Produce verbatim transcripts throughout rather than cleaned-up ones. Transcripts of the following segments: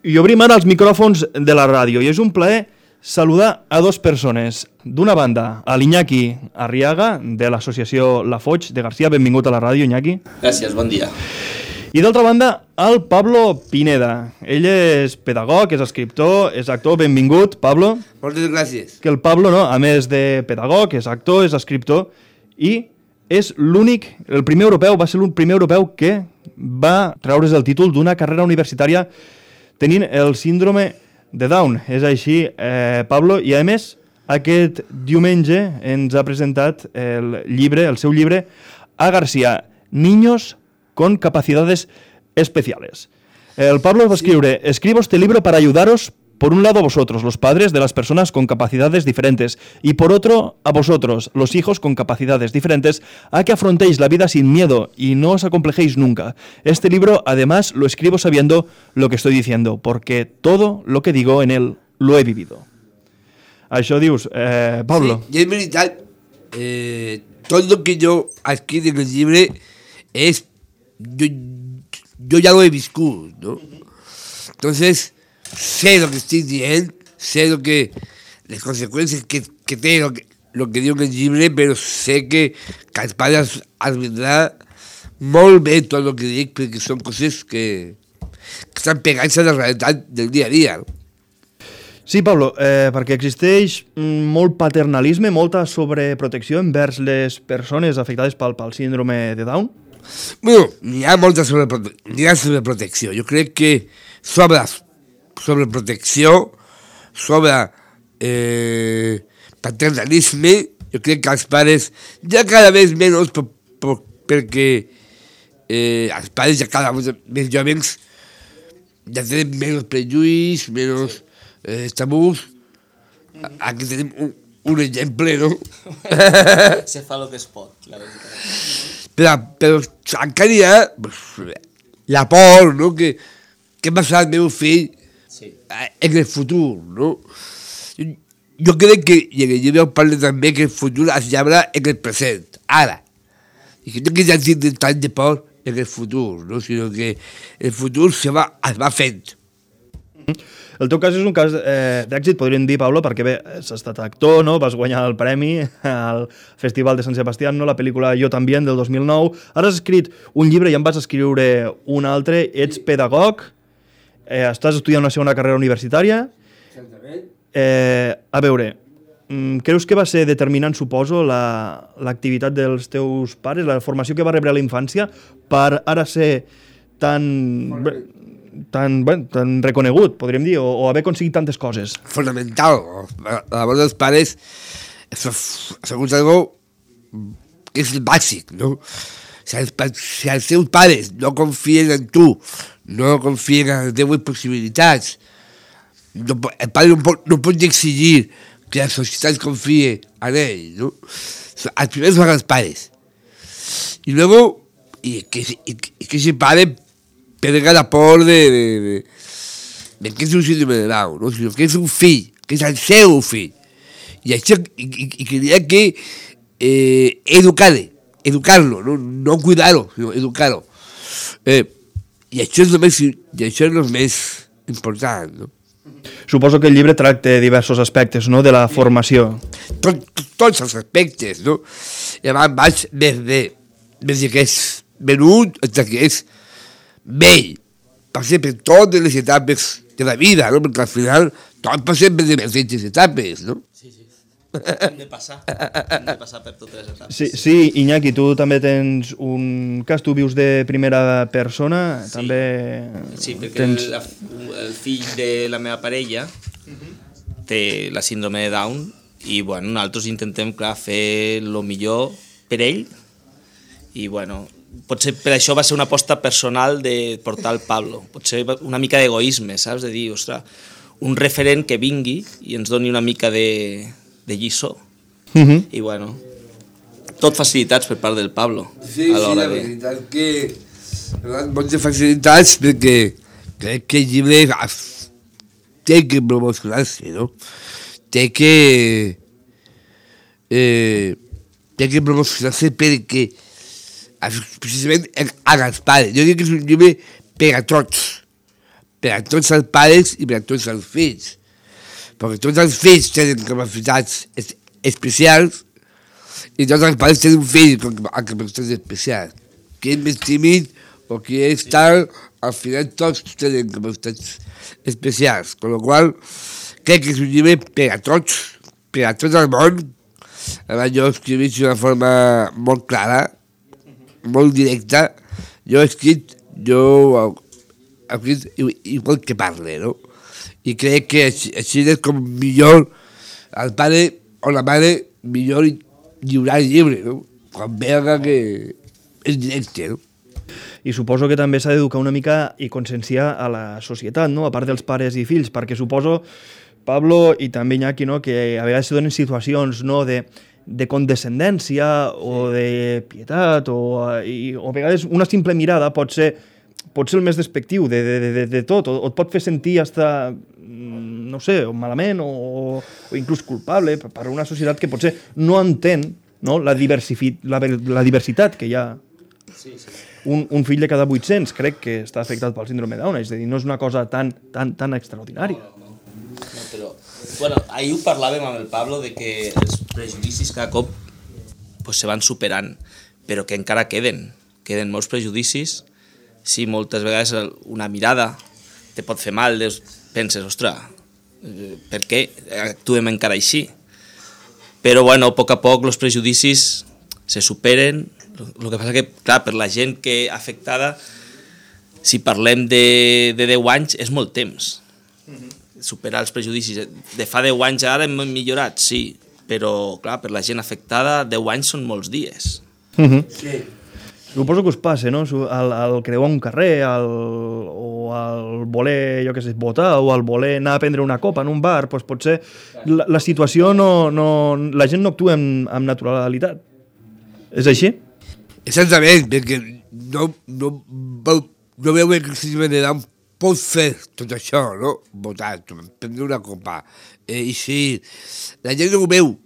I obrim ara els micròfons de la ràdio i és un plaer saludar a dues persones. D'una banda, a l'Iñaki Arriaga, de l'associació La Foix de Garcia. Benvingut a la ràdio, Iñaki. Gràcies, bon dia. I d'altra banda, el Pablo Pineda. Ell és pedagog, és escriptor, és actor. Benvingut, Pablo. Moltes gràcies. Que el Pablo, no, a més de pedagog, és actor, és escriptor i és l'únic, el primer europeu, va ser el primer europeu que va treure's el títol d'una carrera universitària tenint el síndrome de Down. És així, eh, Pablo, i a més, aquest diumenge ens ha presentat el llibre, el seu llibre, a Garcia, Niños con capacidades especiales. El Pablo va escriure, escribo este libro para ayudaros, por un lado a vosotros, los padres de las personas con capacidades diferentes, y por otro a vosotros, los hijos con capacidades diferentes, a que afrontéis la vida sin miedo y no os acomplejéis nunca. Este libro, además, lo escribo sabiendo lo que estoy diciendo, porque todo lo que digo en él lo he vivido. Això dius, eh, Pablo. Sí, i és veritat, eh, tot el que jo escric en el llibre és, jo, jo ja lo he viscut, ¿no? Entonces, sé lo que estoy diciendo, sé lo que, las consecuencias que, que tiene lo que, lo que digo en el llibre, però sé que, que els pares es vendrà molt bé tot el que dic, perquè són coses que, que estan pegant-se a la realitat del dia a dia. Sí, Pablo, eh, perquè existeix molt paternalisme, molta sobreprotecció envers les persones afectades pel, pel síndrome de Down? Bueno, n'hi ha molta sobreprote n'hi ha sobreprotecció. Jo crec que sobre sobreprotecció, sobre eh, paternalisme, jo crec que els pares ja cada vegada menys, per, per, perquè eh, els pares ja cada vegada més jovens ja tenen menys prejuïs, menys eh, tabús. Aquí tenim un, un exemple, no? Se fa el que es pot, la veritat. Però, però encara hi ha pues, la por, no? Que, què passarà el meu fill sí. en el futur, no? Jo, jo crec que, i en el llibre parla també que el futur es llaura en el present, ara. I que no que ja tindre tant de por en el futur, no? Sinó que el futur se va, es va fent. El teu cas és un cas eh, d'èxit, podríem dir, Pablo, perquè bé, has estat actor, no? Vas guanyar el premi al Festival de Sant Sebastián, no? La pel·lícula Jo també, del dos mil nou. Ara has escrit un llibre i en vas escriure un altre. Ets pedagog, eh, estàs estudiant una segona carrera universitària. Eh, a veure, creus que va ser determinant, suposo, l'activitat la, dels teus pares, la formació que va rebre a la infància, per ara ser tan... Tan, bueno, tan reconegut, podríem dir, o, o haver aconseguit tantes coses. Fonamental. A la vora dels pares, segons algo que és bàsic, no? Si els, si els teus pares no confien en tu, no confien en les teves possibilitats, no, el pare no pot, no pot exigir que la societat confie en ell, no? Els primers són els pares. I luego, i que, i, i que ese pare perga la por de, de, de, de que és un síndrome de Down, no? Sinó que és un fill, que és el seu fill. I això, i, i, i que hi ha que eh, educar-lo, educar-lo, no, no cuidar-lo, sinó educar-lo. Eh, I això és el més, i això és el més important, no? Suposo que el llibre tracta diversos aspectes, no?, de la formació. Tot, tot, tots els aspectes, no? I abans vaig des de, des de que és menut fins que és vell, passem per totes les etapes de la vida, no? Perquè al final tot passem per diverses etapes, no? Sí, sí. Hem de passar, hem de passar per totes les etapes. Sí, sí, Iñaki, tu també tens un cas, tu vius de primera persona, sí. També... Sí, perquè tens... el, el fill de la meva parella uh-huh. té la síndrome de Down i, bueno, nosaltres intentem, clar, fer el millor per ell i, bueno, potser per això va ser una aposta personal de portar el Pablo. Potser una mica d'egoisme, saps? De dir, ostres, un referent que vingui i ens doni una mica de, de lliçó. Uh-huh. I, bueno, tot facilitats per part del Pablo. Sí, sí, la veritat de... que... Moltes facilitats perquè crec que el llibre té que promocionar-se, no? Té que... Eh, té que promocionar-se perquè precisament a els pares. Jo dic que és un llibre per a tots, per a tots els pares i per a tots els fills. Perquè tots els fills tenen capacitats es especials i tots els pares tenen fills amb capacitats especials. Qui és més tímid o qui és tal, al final tots tenen capacitats especials. Con lo qual, crec que és un llibre per a tots, per a tot el món. Abans jo escrivís d'una forma molt clara, molt directa. Jo he escrit, jo he escrit igual que parle, no? I crec que així, així és com millor el pare o la mare millor lliurar el llibre, no? Quan veure que és directe, no? I suposo que també s'ha d'educar una mica i conscienciar a la societat, no? A part dels pares i fills, perquè suposo, Pablo i també Iñaki, no? Que a vegades se donen situacions, no? de, de condescendència o de pietat o, i, o a vegades una simple mirada pot ser pot ser el més despectiu de, de, de, de tot, o, o et pot fer sentir hasta, no sé, malament o, o inclús culpable per una societat que potser no entén, no? La, la, la diversitat que hi ha. Sí, sí. Un, un fill de cada vuit-cents crec que està afectat pel síndrome de Down, és a dir, no és una cosa tan, tan, tan extraordinària. No, no, no. no però, bueno, ahir ho parlàvem amb el Pablo de que els prejudicis cada cop pues, se van superant, però que encara queden, queden molts prejudicis. Sí, moltes vegades una mirada te pot fer mal, deus, penses, ostres, per què actuem encara així? Però, bueno, a poc a poc els prejudicis se superen. El que passa que, clar, per la gent que afectada, si parlem de, de deu anys, és molt temps. Superar els prejudicis. De fa deu anys ara hem millorat, sí, però, clar, per la gent afectada, deu anys són molts dies. Uh-huh. Sí. Suposo que us passa, no? El, el creuar un carrer, el, o el voler, jo què sé, votar, o el voler anar a prendre una copa en un bar, doncs potser la, la situació no, no... La gent no actua amb, amb naturalitat. És així? Exactament, perquè no, no, no veu que el síndrome de Down pot fer tot això, no? Votar, prendre una copa. Eh, I si la gent no ho veu,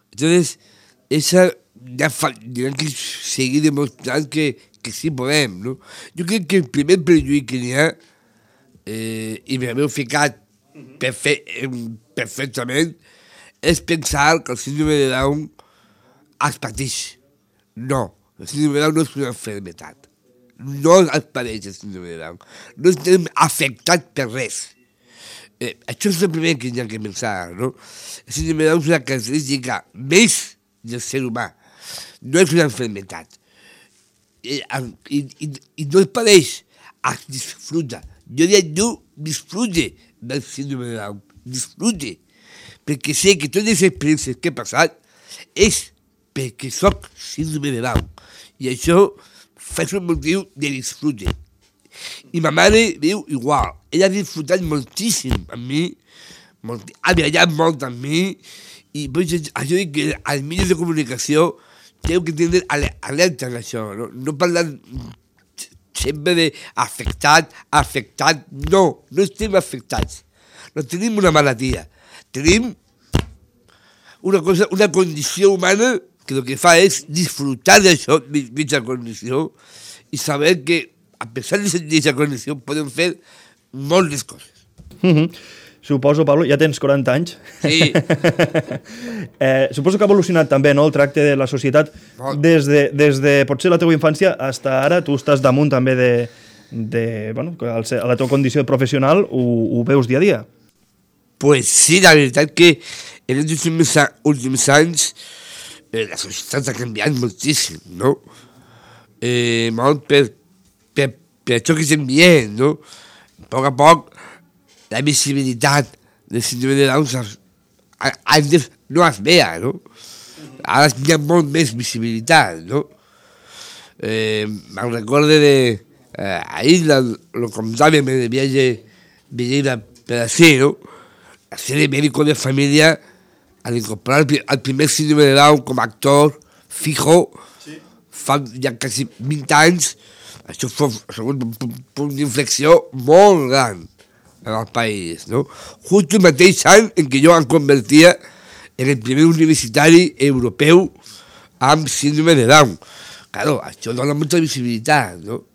entonces, esa... ja fa, direm que seguir demostrant que, que sí podem, no? Jo crec que el primer prejudici que n'hi ha, eh, i m'haveu ficat perfe perfectament, és pensar que el síndrome de Down es pateix. No, el síndrome de Down no és una enfermetat. No es pateix el síndrome de Down. No estem afectats per res. Eh, això és el primer que hi ha que pensar, no? El síndrome de Down és una característica més del ser humà. No és una enfermedad. I, i, i, i no es pareix, es disfruta. Jo diria, no disfrute del síndrome de Down, disfrute. Perquè sé que totes les experiències que he passat és perquè soc síndrome de Down. I això fa un motiu de disfrute. I ma mare diu igual. Ella ha disfrutat moltíssim amb mi, molt, ha viatjat molt amb mi, i pues, això dic que als mitjans de comunicació teniu que tindre alerta en això, no, no parlar sempre d'afectat, afectat, no, no estem afectats, no tenim una malaltia, tenim una cosa, una condició humana que el que fa és disfrutar d'això, d'aquesta condició, i saber que a pesar d'aquesta condició podem fer moltes coses. Mm-hmm. Suposo, Pablo, ja tens quaranta anys. Sí. eh, suposo que ha evolucionat també, no?, el tracte de la societat des de, des de potser la teva infància fins ara. Tu estàs damunt també de, de bueno, a la teva condició de professional, ho, ho veus dia a dia. Pues sí, la veritat que en els últims, últims anys eh, la societat ha canviat moltíssim, no? Eh, molt per, per, per això que estem dient, no? A poc a poc la visibilitat del síndrome de Down antes no es veia, no? Ara hi ha molt més visibilitat, no? Eh, me'n recorde de... Eh, ahir lo contàvem en el viatge venint per així, no? La serie Médico de Familia, al incorporar el primer síndrome de Down com a actor fijo, sí. Fa ja quasi vint anys, això fou un punt d'inflexió molt gran en el país, no? Just el mateix any en què jo em convertia en el primer universitari europeu amb síndrome de Down. Claro, això dona molta visibilitat, no?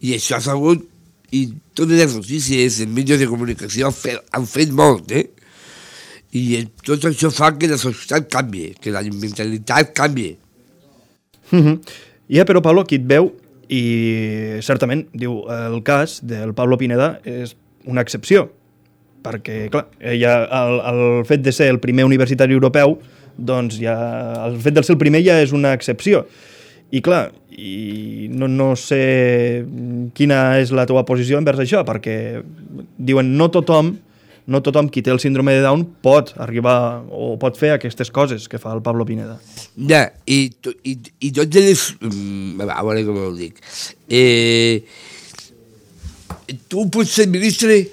I això ha sabut i totes les notícies, els mitjans de comunicació han fet, han fet molt, eh? I tot això fa que la societat canvi, que la mentalitat canvi. Mm -hmm. Ja, però Pablo, qui et veu, i certament, diu, el cas del Pablo Pineda és una excepció, perquè, clar, ja el, el fet de ser el primer universitari europeu, doncs ja, el fet de ser el primer ja és una excepció. I clar, i no, no sé quina és la teva posició envers això, perquè diuen no tothom, no tothom qui té el síndrome de Down pot arribar o pot fer aquestes coses que fa el Pablo Pineda. Ja, i, i, i tots els... A veure com ho dic. Eh, tu pots ser ministre?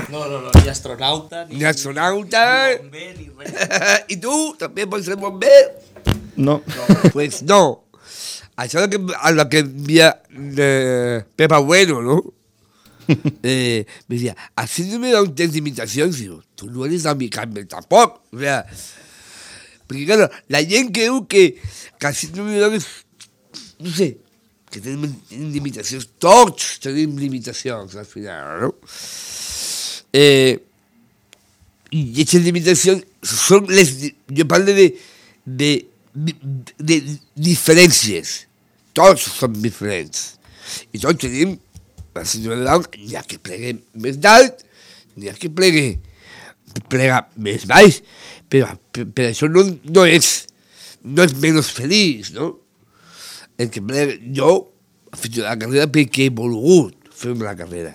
No, no, no, no, ni astronauta, ni, ni astronauta, ni bomber, ni res. I tu també pots ser bomber? No. No. Pues no. Això és el que, que envia eh, Pepa Bueno, ¿no? eh, me decía, haciéndome un test de imitación, digo, tú no eres Amy Campbell tampoco. O sea, porque claro, la gente creu que, que haciéndome un no sé, que tenim limitacions, tots tenim limitacions al final, no? Eh, I aquestes limitacions són les... Jo parlo de, de, de, de diferències. Tots som diferents. I tots tenim la síndrome de Down, n'hi ha que plegue més d'alt, n'hi ha que plegue plega més baix, però per, per això no, no és no és menys feliç, no? El que plega, jo he fet la carrera perquè he volgut fer la carrera.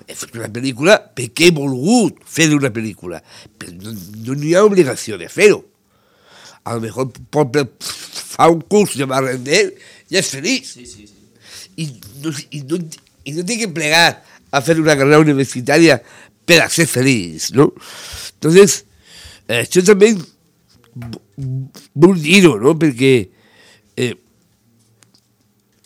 He fet una pel·lícula perquè he volgut fer una pel·lícula, però no, no n'hi ha obligació de fer-ho. A lo mejor pot fa un curs de barrender i és feliç. Sí, sí, sí. I no, i no, i no té que plegar a fer una carrera universitària per a ser feliç, ¿no? Entonces, això també vull dir-ho, no? Perquè eh,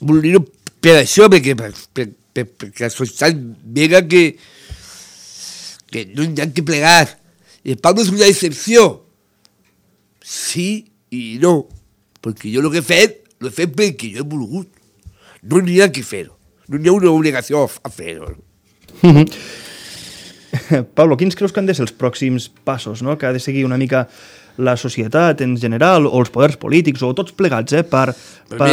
vull dir-ho per això, perquè, per, per, per, perquè la societat vega que, que no hi ha que plegar. I el Pablo és una excepció. Sí i no, perquè jo el que he fet, l'he fet perquè jo he volgut. No n'hi ha que fer-ho. No hi ha una obligació a fer-ho. Pablo, quins creus que han de ser els pròxims passos, no? Que ha de seguir una mica la societat en general, o els poders polítics, o tots plegats, eh, per, per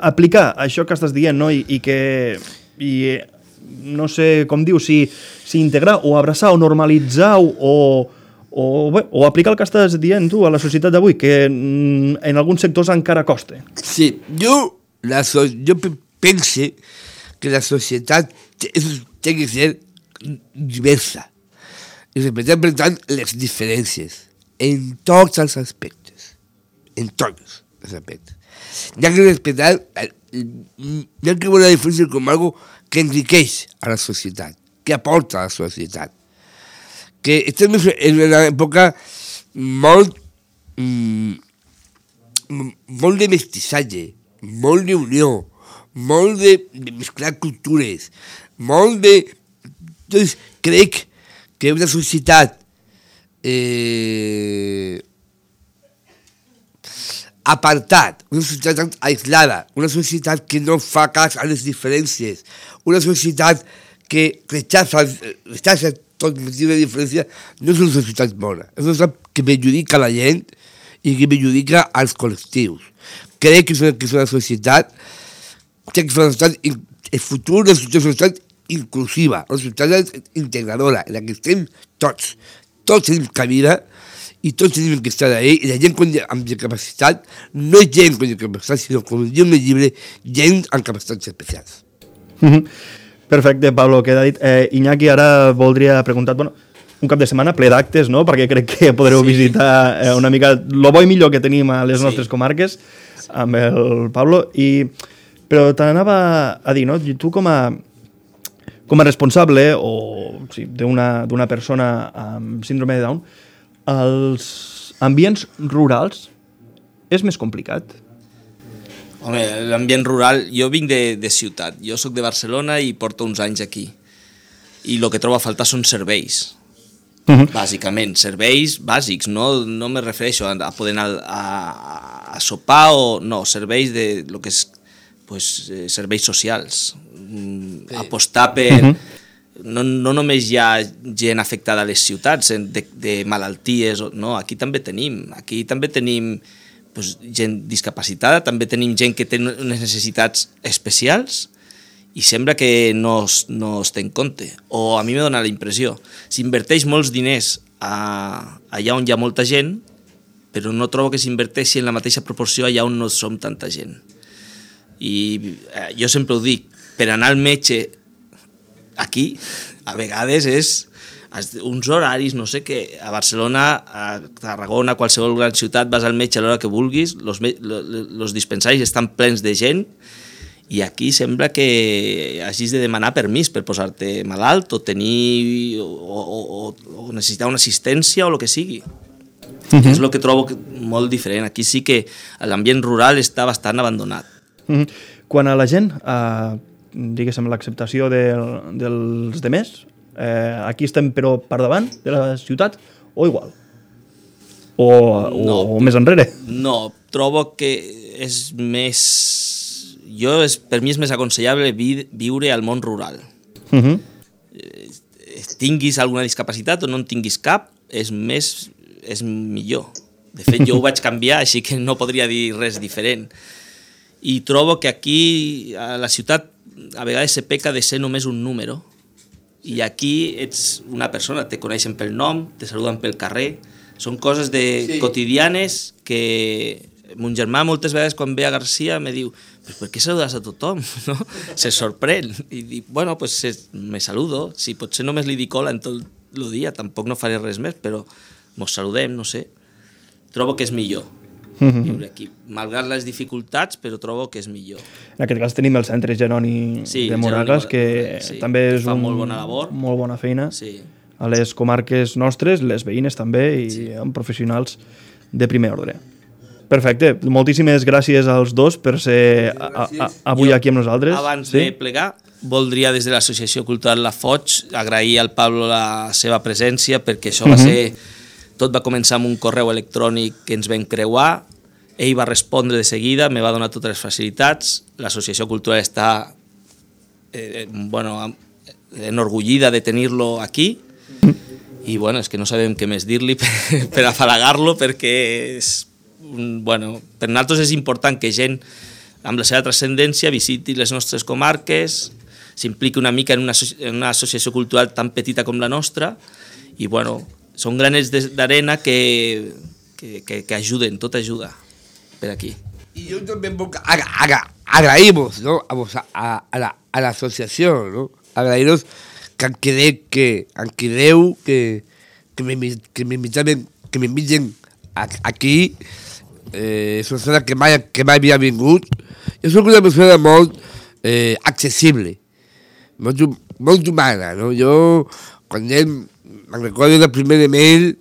aplicar això que estàs dient, no? I, i que... I, no sé com diu, si, si integrar o abraçar o normalitzar o, o, bé, o aplicar el que estàs dient tu a la societat d'avui, que en alguns sectors encara costa. Sí, jo, la so, jo pense que la societat té que ser diversa i respectar, per tant, les diferències en tots els aspectes, en tots els aspectes. Hi ha que respectar, hi ha que veure la diferència com algo que enriqueix a la societat, que aporta a la societat. Que estem en una època molt, molt de mestissatge, molt d'unió, molt de, de mesclar cultures, molt de... Doncs crec que una societat eh, apartat, una societat aislada, una societat que no fa cas a les diferències, una societat que rechaça, rechaça tot motiu de diferència, no és una societat bona. És una societat que perjudica la gent i que perjudica als col·lectius. Crec que és una, que és una societat, crec que és una societat, el futur de la societat inclusiva, una societat integradora, en la que estem tots. Tots tenim cabida i tots tenim que estar ahí, i la gent amb discapacitat no és gent amb discapacitat, sinó, com diu el llibre, gent amb capacitats especials. Perfecte, Pablo, queda dit. Eh, Iñaki, ara voldria preguntar, bueno, un cap de setmana ple d'actes, no?, perquè crec que podreu sí. visitar eh, una mica lo bo i millor que tenim a les sí. nostres comarques amb el Pablo, i, però t'anava a dir, no?, tu com a com a responsable o sí, d'una persona amb síndrome de Down, els ambients rurals és més complicat? Home, l'ambient rural... Jo vinc de, de ciutat. Jo sóc de Barcelona i porto uns anys aquí. I el que trobo a faltar són serveis. Uh-huh. Bàsicament, serveis bàsics. No, no me refereixo a, a poder anar a, a, a sopar o... No, serveis de lo que és pues, eh, serveis socials, mm, apostar per... Uh -huh. no, no només hi ha gent afectada a les ciutats de, de malalties, no, aquí també tenim, aquí també tenim pues, gent discapacitada, també tenim gent que té unes necessitats especials i sembla que no es, no es té en compte. O a mi m'ha donat la impressió, s'inverteix molts diners a, allà on hi ha molta gent, però no trobo que s'inverteixi en la mateixa proporció allà on no som tanta gent. I eh, jo sempre ho dic, per anar al metge aquí, a vegades és uns horaris, no sé què, a Barcelona, a Tarragona, a qualsevol gran ciutat, vas al metge a l'hora que vulguis, els dispensaris estan plens de gent, i aquí sembla que hagis de demanar permís per posar-te malalt o tenir o, o, o necessitar una assistència o el que sigui. Uh-huh. És el que trobo molt diferent. Aquí sí que l'ambient rural està bastant abandonat. Uh-huh. Quan a la gent, eh, diguéssim, l'acceptació de, dels demés, eh, aquí estem però per davant de la ciutat o igual? O, o, no, o més enrere? No, trobo que és més... Jo, és, per mi és més aconsellable vi, viure al món rural. Uh-huh. eh, tinguis alguna discapacitat o no en tinguis cap, és més... és millor. De fet, jo ho vaig canviar, així que no podria dir res diferent. I trobo que aquí, a la ciutat, a vegades se peca de ser només un número, i aquí ets una persona, te coneixen pel nom, te saluden pel carrer, són coses de sí. quotidianes que mon germà moltes vegades quan ve a Garcia me diu, pues per què saludes a tothom? No? Se sorprèn. I dic, bueno, pues me saludo, si potser només li dic hola en tot el dia, tampoc no faré res més, però mos saludem, no sé. Trobo que és millor viure aquí, malgrat les dificultats, però trobo que és millor. En aquest cas tenim el Centre Jeroni sí, de Moragas, Jeroni, que sí, també és un, molt bona labor. Molt bona feina. Sí. A les comarques nostres, les veïnes també, i sí. amb professionals de primer ordre. Perfecte, moltíssimes gràcies als dos per ser a, a, avui jo, aquí amb nosaltres. Abans sí? de plegar, voldria des de l'Associació Cultural La Foig agrair al Pablo la seva presència, perquè això uh-huh. va ser... Tot va començar amb un correu electrònic que ens vam creuar, ell va respondre de seguida, me va donar totes les facilitats, l'Associació Cultural està eh, bueno, enorgullida de tenir-lo aquí, i bueno, és que no sabem què més dir-li per, per afalagar-lo, perquè és, bueno, per nosaltres és important que gent amb la seva transcendència visiti les nostres comarques, s'impliqui una mica en una, en una associació cultural tan petita com la nostra, i bueno, són granets d'arena que, que, que, que ajuden, tot ajuda per aquí. Y yo también agra, agra, agraímos, ¿no? a, a, a, la, a la asociación, ¿no? Agraíros que han querido que, han querido que, que, me, que me inviten, que me inviten aquí, eh, és una persona que mai, que mai havia vingut. Jo soc una persona molt eh, accessible, molt, molt humana, no? Jo, quan ell me'n recordo del primer email,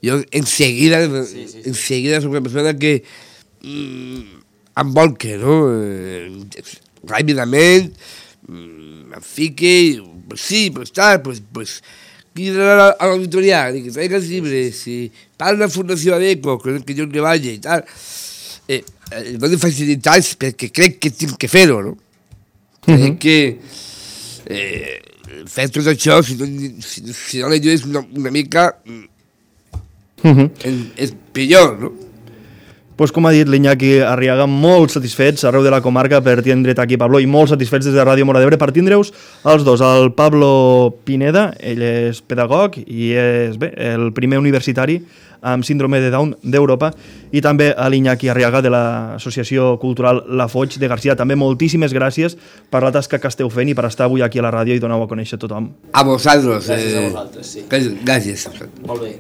jo enseguida, sí, sí, sí. enseguida soc una persona que mm, em volca, no? Eh, ràpidament, mm, em fique, pues sí, pues tal, pues, pues, a l'auditoria, que traiga els llibres, si parla la Fundació Adeco, que jo treballo i tal, eh, eh, dono facilitats perquè crec que tinc que fer-ho, no? Crec uh-huh. que eh, fer tot això, si no, si, si no l'ajudes una, una mica, uh-huh. és, és pitjor, no? Pues com ha dit l'Iñaki Arriaga, molt satisfets arreu de la comarca per tindre't aquí, Pablo, i molt satisfets des de Ràdio Móra d'Ebre per tindre-us els dos, el Pablo Pineda, ell és pedagog i és bé, el primer universitari amb síndrome de Down d'Europa, i també a l'Iñaki Arriaga de l'Associació Cultural La Foig de Garcia. També moltíssimes gràcies per la tasca que esteu fent i per estar avui aquí a la ràdio i donar-ho a conèixer a tothom. A vosaltres. Gràcies eh, a vosaltres, sí. Gràcies. Molt bé.